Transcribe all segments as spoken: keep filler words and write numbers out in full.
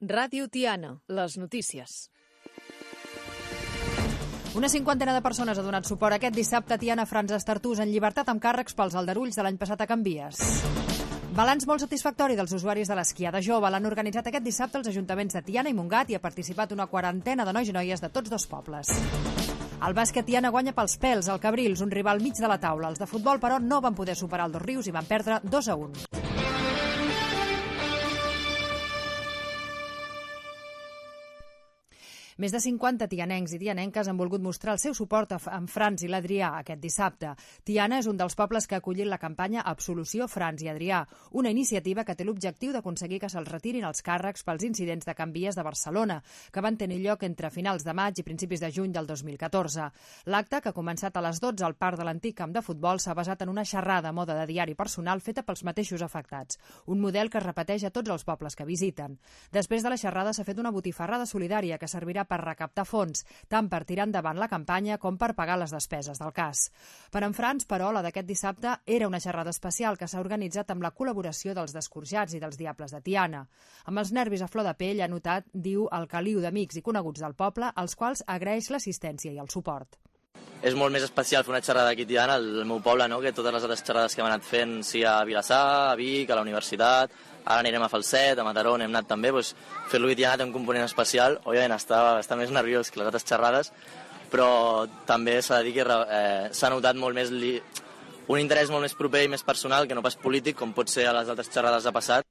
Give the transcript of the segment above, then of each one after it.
Ràdio Tiana, les notícies. Una cinquantena de persones ha donat suport aquest dissabte a Tiana Frans Estartús en llibertat amb càrrecs pels aldarulls de l'any passat a Can Vies. Balanç molt satisfactori dels usuaris de l'esquiada jove. L'han organitzat aquest dissabte els ajuntaments de Tiana i Montgat i ha participat una quarantena de nois i noies de tots dos pobles. El bàsquet Tiana guanya pels pèls al Cabrils, un rival mig de la taula. Els de futbol, però, no van poder superar el Dos Rius i van perdre dos a un. Més de cinquanta tianencs i tianenques han volgut mostrar el seu suport a en Frans i l'Adrià aquest dissabte. Tiana és un dels pobles que ha acollit la campanya Absolució Frans i Adrià, una iniciativa que té l'objectiu d'aconseguir que se'ls retirin els càrrecs pels incidents de Can Vies de Barcelona, que van tenir lloc entre finals de maig i principis de juny del dos mil catorze. L'acte, que ha començat a les dotze al parc de l'antic camp de futbol, s'ha basat en una xerrada a mode de diari personal feta pels mateixos afectats, un model que es repeteix a tots els pobles que visiten. Després de la xerrada s'ha fet una botifarrada solidària que servirà per recaptar fons, tant per tirar endavant la campanya com per pagar les despeses del cas. Per en Frans, però, la d'aquest dissabte era una xerrada especial que s'ha organitzat amb la col·laboració dels Descorjats i dels Diables de Tiana. Amb els nervis a flor de pell, ha notat, diu, el caliu d'amics i coneguts del poble, als quals agraeix l'assistència i el suport. És molt més especial fer una xerrada aquí a Tiana, el meu poble, no? Que totes les altres xerrades que hem anat fent, sigui a Vilassar, a Vic, a la universitat, ara anirem a Falset, a Mataró, hem anat també, doncs, fer-lo a Tiana té un component especial, òbviament està, està més nerviós que les altres xerrades, però també s'ha de dir que eh, s'ha notat molt més li... un interès molt més proper i més personal que no pas polític, com pot ser a les altres xerrades de passat.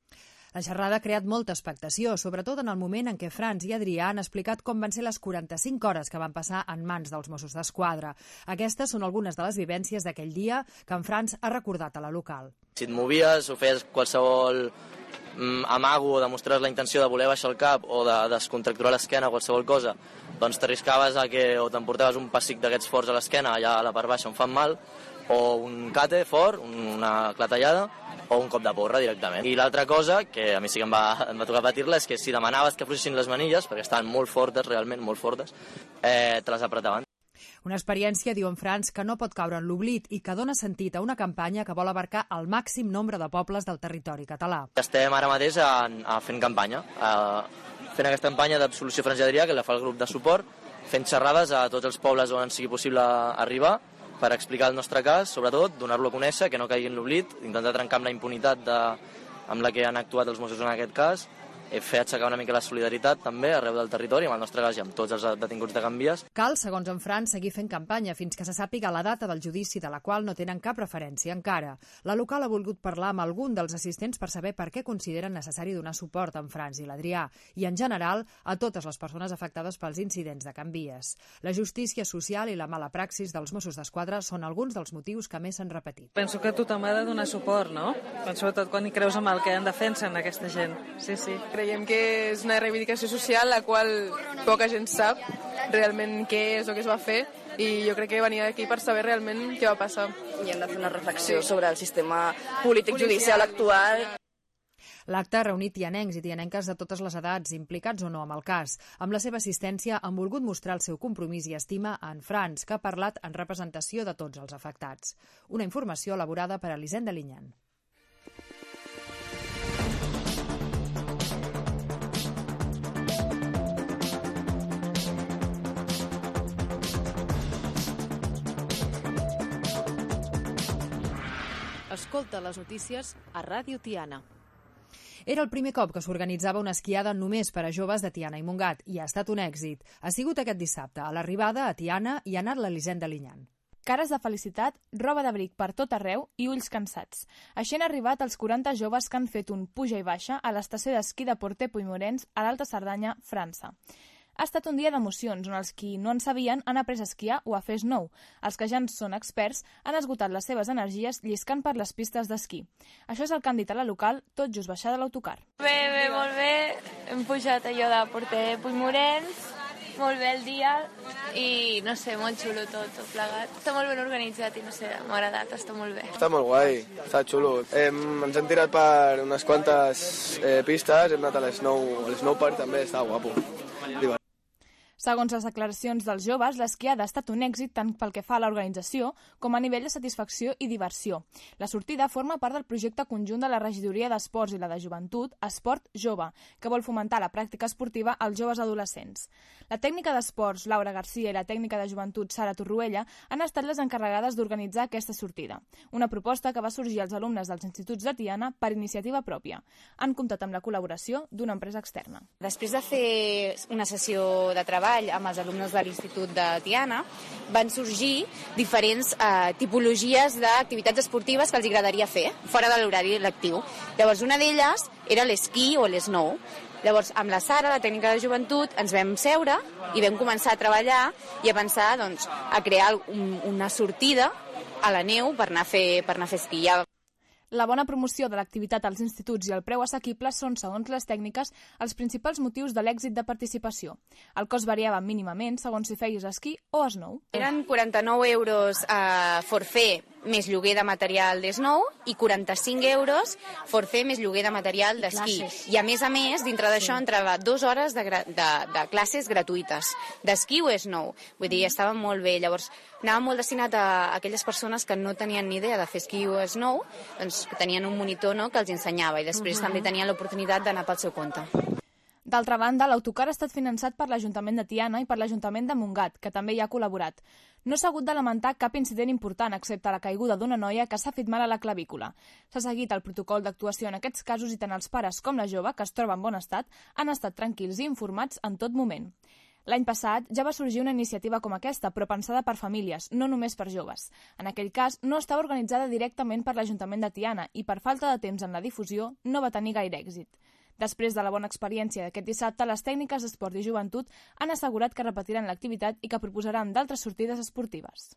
La xerrada ha creat molta expectació, sobretot en el moment en què Frans i Adrià han explicat com van ser les quaranta-cinc hores que van passar en mans dels Mossos d'Esquadra. Aquestes són algunes de les vivències d'aquell dia que en Frans ha recordat a la local. Si et movies o feies qualsevol mm, amago o demostraves la intenció de voler baixar el cap o de descontracturar l'esquena o qualsevol cosa, doncs t'arriscaves a que o t'emportaves un pessic d'aquests forts a l'esquena, allà a la part baixa on fan mal, o un cate fort, una clatellada, o un cop de porra directament. I l'altra cosa, que a mi sí que em va, em va tocar patir-la, és que si demanaves que afluixessin les manilles, perquè estaven molt fortes, realment molt fortes, eh, te les apretaven. Una experiència, diu en Frans, que no pot caure en l'oblit i que dona sentit a una campanya que vol abarcar el màxim nombre de pobles del territori català. Estem ara mateix a, a fent campanya, a, fent aquesta campanya d'Absolució Frans i Adrià, que la fa el grup de suport, fent xerrades a tots els pobles on sigui possible arribar, per explicar el nostre cas, sobretot, donar-lo a conèixer, que no caigui en l'oblit, intentar trencar amb la impunitat de, amb la que han actuat els Mossos en aquest cas, fer aixecar una mica la solidaritat també arreu del territori, amb el nostre cas i amb tots els detinguts de Can Vies. Cal, segons en Frans, seguir fent campanya fins que se sàpiga la data del judici, de la qual no tenen cap referència encara. La local ha volgut parlar amb algun dels assistents per saber per què consideren necessari donar suport a en Frans i l'Adrià i, en general, a totes les persones afectades pels incidents de Can Vies. La justícia social i la mala praxis dels Mossos d'Esquadra són alguns dels motius que més s'han repetit. Penso que tothom ha de donar suport, no? Sobretot quan hi creus en el que en defensen aquesta gent. Sí, sí. Creiem que és una reivindicació social la qual poca gent sap realment què és o què es va fer i jo crec que venia aquí per saber realment què va passar. I hem de fer una reflexió sí. sobre el sistema polític judicial actual. L'acte ha reunit tianencs i tianenques de totes les edats, implicats o no amb el cas. Amb la seva assistència han volgut mostrar el seu compromís i estima a en Frans, que ha parlat en representació de tots els afectats. Una informació elaborada per Elisenda Linyan. Escolta les notícies a Ràdio Tiana. Era el primer cop que s'organitzava una esquiada només per a joves de Tiana i Montgat i ha estat un èxit. Ha sigut aquest dissabte. A l'arribada a Tiana hi ha anat l'Elisenda Linyan. Cares de felicitat, roba d'abric per tot arreu i ulls cansats. Així han arribat els quaranta joves que han fet un puja i baixa a l'estació d'esquí de Porter-Puigmorens a l'Alta Cerdanya, França. Ha estat un dia d'emocions on els qui no en sabien han après a esquiar o a fer snow. Els que ja en són experts han esgotat les seves energies lliscant per les pistes d'esquí. Això és el que han dit a la local tot just baixar de l'autocar. Bé, bé, molt bé. Hem pujat allò de Porter-Puigmorens, molt bé el dia i, no sé, molt xulo tot, tot plegat. Està molt ben organitzat i, no sé, m'ha agradat, està molt bé. Està molt guai, està xulo. Hem, ens hem tirat per unes quantes eh, pistes, hem anat a l'Snow, a l'Snow Park també, està guapo. Segons les declaracions dels joves, l'esquiada ha estat un èxit tant pel que fa a l'organització com a nivell de satisfacció i diversió. La sortida forma part del projecte conjunt de la Regidoria d'Esports i la de Joventut, Esport Jove, que vol fomentar la pràctica esportiva als joves adolescents. La tècnica d'esports, Laura Garcia, i la tècnica de joventut, Sara Torroella, han estat les encarregades d'organitzar aquesta sortida. Una proposta que va sorgir als alumnes dels instituts de Tiana per iniciativa pròpia. Han comptat amb la col·laboració d'una empresa externa. Després de fer una sessió de treball amb els alumnes de l'Institut de Tiana, van sorgir diferents eh, tipologies d'activitats esportives que els agradaria fer, fora de l'horari lectiu. Llavors, una d'elles era l'esquí o l'esnou. Llavors, amb la Sara, la tècnica de joventut, ens vam seure i vam començar a treballar i a pensar doncs, a crear un, una sortida a la neu per anar a fer, per anar a fer esquí. La bona promoció de l'activitat als instituts i el preu assequible són, segons les tècniques, els principals motius de l'èxit de participació. El cost variava mínimament segons si feies esquí o snow. Eren quaranta-nou euros a forfait més lloguer de material d'snow i quaranta-cinc euros forfait més lloguer de material d'esquí. I a més a més, dintre d'això, entrava dues hores de, de, de classes gratuïtes d'esquí o snow. Vull dir, estava molt bé. Llavors, anava molt destinat a aquelles persones que no tenien ni idea de fer esquí o snow, doncs que tenien un monitor, no?, que els ensenyava i després uh-huh. també tenien l'oportunitat d'anar pel seu compte. D'altra banda, l'autocar ha estat finançat per l'Ajuntament de Tiana i per l'Ajuntament de Montgat, que també hi ha col·laborat. No s'ha hagut de lamentar cap incident important, excepte la caiguda d'una noia que s'ha fet mal a la clavícula. S'ha seguit el protocol d'actuació en aquests casos i tant els pares com la jove, que es troba en bon estat, han estat tranquils i informats en tot moment. L'any passat ja va sorgir una iniciativa com aquesta, però pensada per famílies, no només per joves. En aquell cas, no estava organitzada directament per l'Ajuntament de Tiana i per falta de temps en la difusió no va tenir gaire èxit. Després de la bona experiència d'aquest dissabte, les tècniques d'esport i joventut han assegurat que repetiran l'activitat i que proposaran d'altres sortides esportives.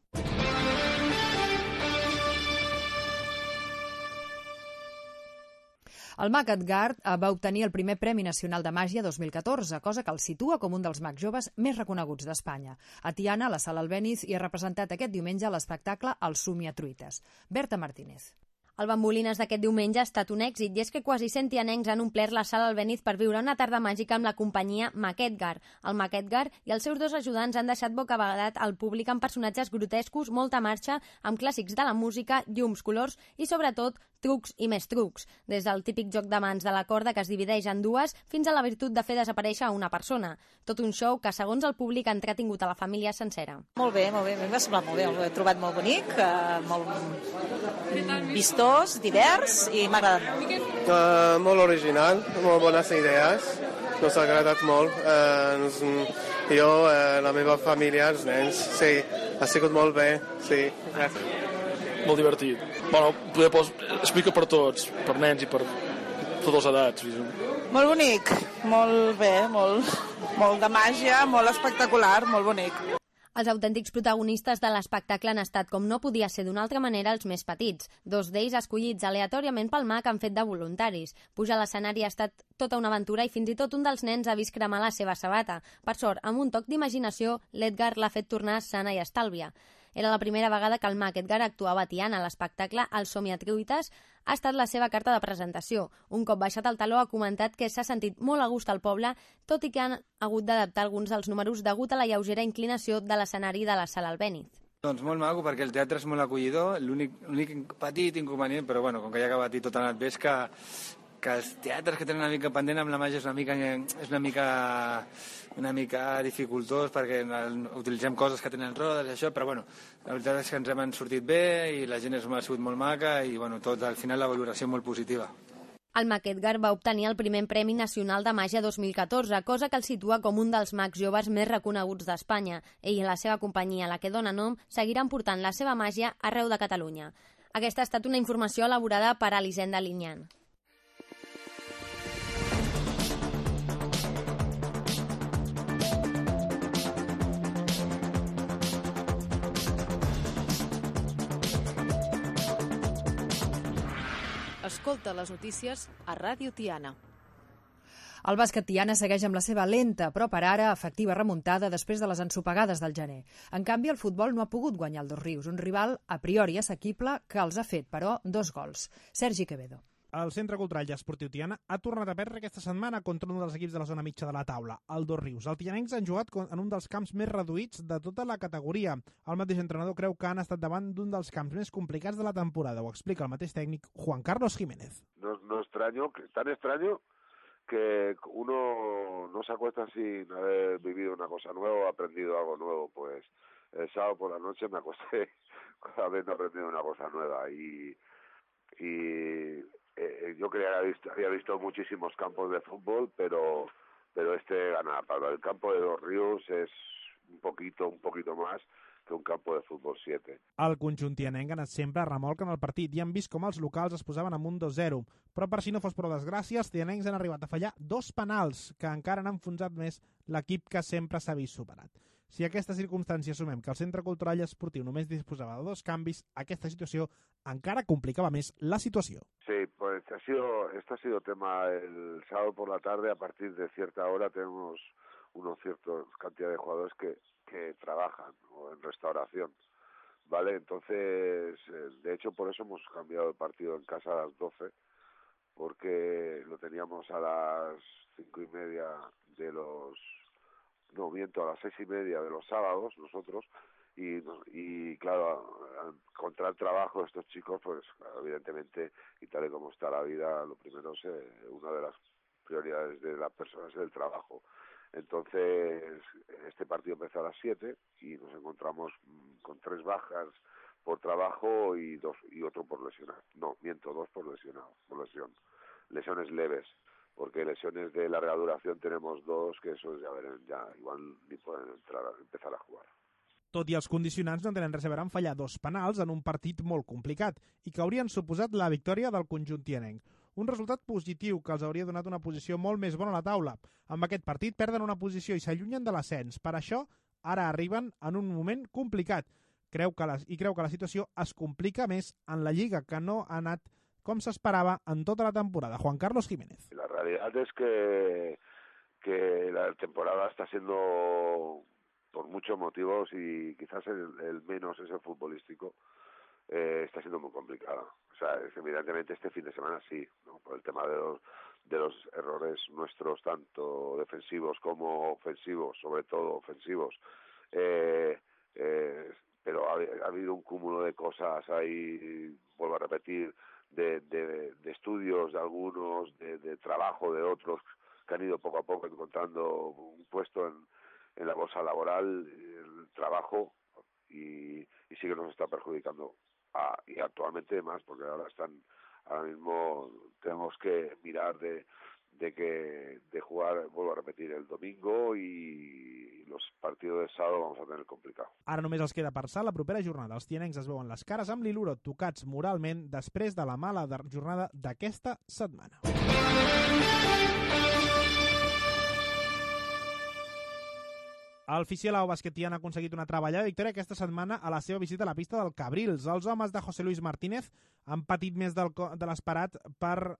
El mag Edgar va obtenir el primer Premi Nacional de Màgia dos mil catorze, cosa que el situa com un dels mags joves més reconeguts d'Espanya. A Tiana, la Sala Albéniz, hi ha representat aquest diumenge l'espectacle El Somiatruites. Berta Martínez. El Bambolines d'aquest diumenge ha estat un èxit i és que quasi cent tianencs han omplert la Sala Albéniz per viure una tarda màgica amb la companyia Mag Edgar. El Mag Edgar i els seus dos ajudants han deixat bocabadat al públic amb personatges grotescos, molta marxa, amb clàssics de la música, llums, colors i, sobretot, trucs i més trucs. Des del típic joc de mans de la corda que es divideix en dues fins a la virtut de fer desaparèixer una persona. Tot un show que, segons el públic, ha entretingut a la família sencera. Molt bé, molt bé. A mi m'ha semblat molt bé. Ho he trobat molt bonic, eh, molt vistós, divers i m'ha agradat molt. Uh, molt original, molt bones idees. Nos ha agradat molt. Uh, nos, jo, uh, la meva família, els nens, sí, ha sigut molt bé, sí. Gràcies. Molt divertit. Bueno, poder pos... explica per tots, per nens i per totes les edats. Molt bonic, molt bé, molt, molt de màgia, molt espectacular, molt bonic. Els autèntics protagonistes de l'espectacle han estat, com no podia ser d'una altra manera, els més petits. Dos d'ells escollits aleatòriament pel mag han fet de voluntaris. Pujar a l'escenari ha estat tota una aventura i fins i tot un dels nens ha vist cremar la seva sabata. Per sort, amb un toc d'imaginació, l'Edgar l'ha fet tornar sana i estàlvia. Era la primera vegada que el mag Edgar actuava a Tiana. L'espectacle El Somiatruites ha estat la seva carta de presentació. Un cop baixat el taló ha comentat que s'ha sentit molt a gust al poble, tot i que han hagut d'adaptar alguns dels números degut a la lleugera inclinació de l'escenari de la Sala Albéniz. Doncs molt maco, perquè el teatre és molt acollidor. L'únic petit inconvenient, però bueno, com que ja ha acabat i tot ha anat bé, és que que els teatres que tenen una mica pendent amb la màgia és una mica, és una mica, una mica dificultós perquè utilitzem coses que tenen rodes i això, però bueno, la veritat és que ens hem sortit bé i la gent ha sigut molt maca i bueno, tot al final la valoració molt positiva. El mag Edgar va obtenir el primer Premi Nacional de Màgia dos mil catorze, cosa que el situa com un dels mags joves més reconeguts d'Espanya. Ell i la seva companyia, la que dona nom, seguiran portant la seva màgia arreu de Catalunya. Aquesta ha estat una informació elaborada per Elisenda Linyan. Escolta les notícies a Ràdio Tiana. El bàsquet Tiana segueix amb la seva lenta, però per ara efectiva remuntada després de les ensopegades del gener. En canvi, el futbol no ha pogut guanyar el Dos Rius, un rival a priori assequible que els ha fet, però, dos gols. Sergi Quevedo. El Centre Cultural i Esportiu Tiana ha tornat a perdre aquesta setmana contra un dels equips de la zona mitja de la taula, el Dosrius. Els tianencs han jugat en un dels camps més reduïts de tota la categoria. El mateix entrenador creu que han estat davant d'un dels camps més complicats de la temporada. Ho explica el mateix tècnic Juan Carlos Jiménez. No, no extraño, tan extraño que uno no se acuesta sin haber vivido una cosa nueva o aprendido algo nuevo. Pues el sábado por la noche me acosté habiendo aprendido una cosa nueva y... y Eh, yo creía que había visto, había visto muchísimos campos de fútbol, pero pero este gana. Para el campo de Dosrius es un poquito, un poquito más que un campo de futbol siete. El conjunt tianenc ha anat sempre a remolc en el partit i han vist com els locals es posaven amunt dos zero. Però per si no fos prou desgràcia, els tianencs han arribat a fallar dos penals que encara han enfonsat més l'equip que sempre s'ha vist superat. Si a aquesta circumstància sumem que el Centre Cultural i Esportiu només disposava de dos canvis, aquesta situació encara complicava més la situació. Sí, pues ha sido, este ha sido tema el sábado por la tarde. A partir de cierta hora tenemos una cierta cantidad de jugadores que que trabajan o en restauración, ¿vale? Entonces, de hecho, por eso hemos cambiado el partido en casa a las doce, porque lo teníamos a las cinco y media de los... No, miento, a las seis y media de los sábados, nosotros, y, y claro, al encontrar trabajo estos chicos, pues evidentemente, y tal y como está la vida, lo primero es eh, una de las prioridades de las personas es el trabajo. Entonces, este partido empezó a las siete y nos encontramos con tres bajas por trabajo y dos y otro por lesionar. No, miento, dos por lesionado, por lesión. Lesiones leves, porque lesiones de larga duración tenemos dos, que eso ya verán, ya igual ni pueden entrar a, empezar a jugar. Tot i els condicionants no tenen res a veure amb fallar dos penals en un partit molt complicat i que haurien suposat la victòria del conjunt tianenc. Un resultat positiu que els hauria donat una posició molt més bona a la taula. Amb aquest partit perden una posició i s'allunyen de l'ascens. Per això, ara arriben en un moment complicat. Creu que la, I creu que la situació es complica més en la Lliga, que no ha anat com s'esperava en tota la temporada. Juan Carlos Jiménez. La realidad es que, que la temporada está siendo, por muchos motivos, y quizás el, el menos es el futbolístico, eh, está siendo muy complicada. O sea, es, evidentemente este fin de semana sí, ¿no? Por el tema de los, de los errores nuestros, tanto defensivos como ofensivos, sobre todo ofensivos. Eh, eh, pero ha, ha habido un cúmulo de cosas ahí, vuelvo a repetir, de, de, de estudios de algunos, de, de trabajo de otros, que han ido poco a poco encontrando un puesto en, en la bolsa laboral, el trabajo, y, y sí que nos está perjudicando. Ah, y actualmente más, porque ahora están, ahora mismo tenemos que mirar de, de que de jugar, vuelvo a repetir, el domingo, y los partidos de sábado vamos a tener complicado. Ara només els queda passar la propera jornada. Els tianencs es veuen les cares amb l'Iluro, tocats moralment després de la mala jornada d'aquesta setmana. El Fisielao Bàsquet Tiana ha aconseguit una treballada victòria aquesta setmana a la seva visita a la pista del Cabrils. Els homes de José Luis Martínez han patit més del, de l'esperat per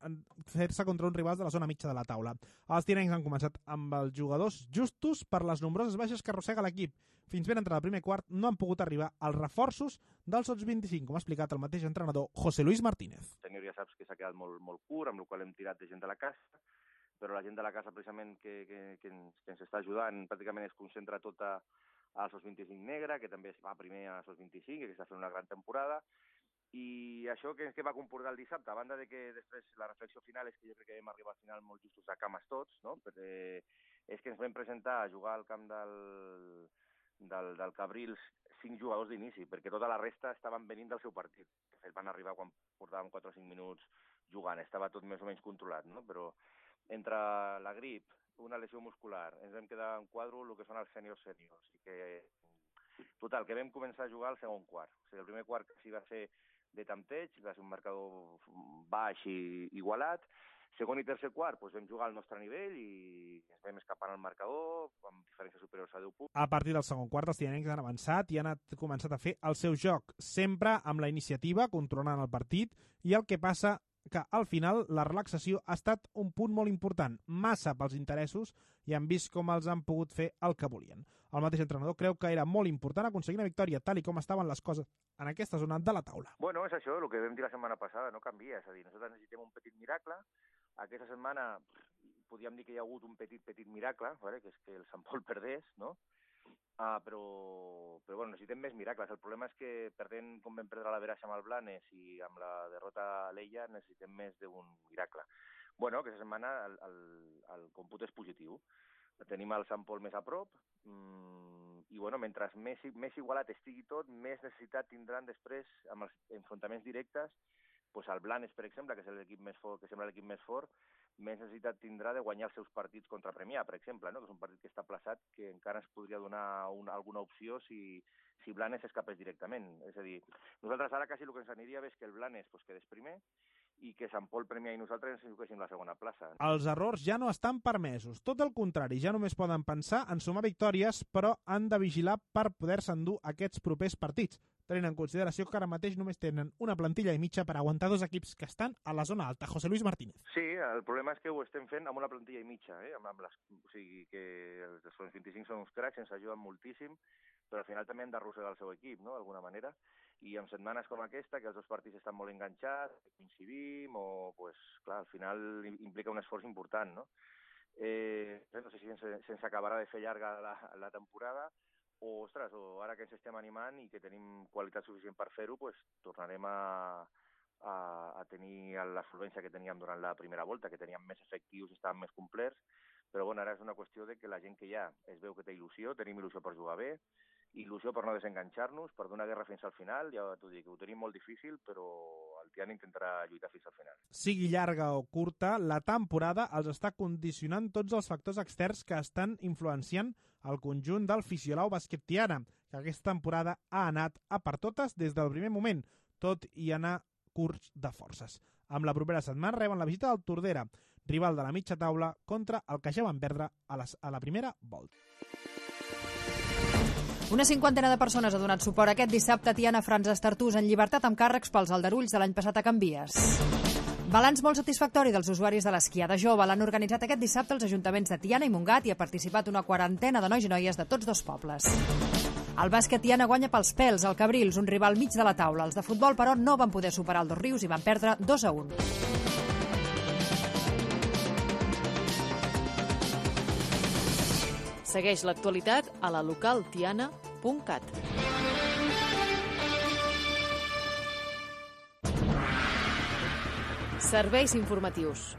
fer-se contra uns rivals de la zona mitja de la taula. Els tianencs han començat amb els jugadors justos per les nombroses baixes que arrossega l'equip. Fins ben entrat el primer quart no han pogut arribar als reforços dels sots vint-i-cinc, com ha explicat el mateix entrenador José Luis Martínez. El senyor ja saps que s'ha quedat molt, molt curt, amb el qual hem tirat de gent de la casa, però la gent de la casa precisament que, que, que, ens, que ens està ajudant pràcticament es concentra tota al sots vint-i-cinc negre, que també es va primer a sots vint-i-cinc, que està fent una gran temporada, i això que, que va comportar el dissabte, a banda de que després la reflexió final és que jo crec que vam arribar al final molt justos a cames tots, no? Perquè és que ens vam presentar a jugar al camp del, del, del Cabrils cinc jugadors d'inici, perquè tota la resta estaven venint del seu partit. De fet, van arribar quan portàvem quatre o cinc minuts jugant, estava tot més o menys controlat, no? Però entre la grip, una lesió muscular, ens vam quedar en quadro el que són els sèniors sèniors. I que, total, que vam començar a jugar al segon quart. O sigui, el primer quart sí va ser de tanteig, va ser un marcador baix i igualat. Segon i tercer quart doncs vam jugar al nostre nivell i ens vam escapar al marcador amb diferències superiors a deu punts. A partir del segon quart, els tianencs han avançat i han començat a fer el seu joc, sempre amb la iniciativa, controlant el partit, i el que passa que al final la relaxació ha estat un punt molt important, massa pels interessos, i han vist com els han pogut fer el que volien. El mateix entrenador creu que era molt important aconseguir una victòria tal i com estaven les coses en aquesta zona de la taula. Bueno, és això, el que vam dir la setmana passada, no canvia, és a dir, nosaltres necessitem un petit miracle. Aquesta setmana podríem dir que hi ha hagut un petit, petit miracle, ¿vale? Que és que el Sant Pol perdés, no? Ah, però, però bueno, necessitem més miracles. El problema és que perdent com vam perdre la Veràcia amb el Blanes i amb la derrota a l'Ella necessitem més d'un miracle. Bueno, aquesta setmana el, el, el còmput és positiu. Tenim el Sant Pol més a prop mmm, i bueno, mentre més, més igualat estigui tot, més necessitat tindran després amb els enfrontaments directes. Pues el Blanes, per exemple, que és l'equip més fort, que sembla l'equip més fort, més necessitat tindrà de guanyar els seus partits contra Premià, per exemple, no? Que és un partit que està plaçat, que encara ens podria donar una, alguna opció si, si Blanes escapés directament. És a dir, nosaltres ara quasi el que ens aniria bé és que el Blanes pues, quedés primer i que Sant Pol, Premià i nosaltres ens juguéssim la segona plaça. Els errors ja no estan permesos. Tot el contrari, ja només poden pensar en sumar victòries, però han de vigilar per poder-se endur aquests propers partits, tenint en consideració que ara mateix només tenen una plantilla i mitja per aguantar dos equips que estan a la zona alta. José Luis Martínez. Sí, el problema és que ho estem fent amb una plantilla i mitja, eh? amb, amb les, o sigui que els dels vint-i-cinc són uns cracs, ens ajuden moltíssim, però al final també hem d'arrossegar el seu equip, no?, d'alguna manera, i en setmanes com aquesta, que els dos partits estan molt enganxats, coincidim, o, pues, clar, al final implica un esforç important, no? Eh, no sé si se'ns se acabarà de fer llarga la, la temporada, o, ostres, o ara que ens estem animant i que tenim qualitat suficient per fer-ho, pues, tornarem a, a, a tenir la solvència que teníem durant la primera volta, que teníem més efectius, estàvem més complets, però bueno, ara és una qüestió de que la gent que hi ha es veu que té il·lusió, tenim il·lusió per jugar bé, il·lusió per no desenganxar-nos, per donar guerra fins al final, ja t'ho dic, ho tenim molt difícil, però el Tiana intentarà lluitar fins al final. Sigui llarga o curta, la temporada els està condicionant tots els factors externs que estan influenciant el conjunt del Fisiolau Bàsquet Tiana, que aquesta temporada ha anat a per totes des del primer moment, tot i anar curts de forces. Amb la propera setmana reben la visita del Tordera, rival de la mitja taula, contra el que ja van perdre a, les, a la primera volta. Una cinquantena de persones ha donat suport aquest dissabte a Tiana Frans Estartús en llibertat amb càrrecs pels aldarulls de l'any passat a Can Vies. Balanç molt satisfactori dels usuaris de l'esquiada jove. L'han organitzat aquest dissabte els ajuntaments de Tiana i Montgat i ha participat una quarantena de nois i noies de tots dos pobles. El bàsquet Tiana guanya pels pèls al Cabrils, un rival mig de la taula. Els de futbol, però, no van poder superar el Dos Rius i van perdre dos a un. Segueix l'actualitat a la local tiana punt cat. Serveis informatius.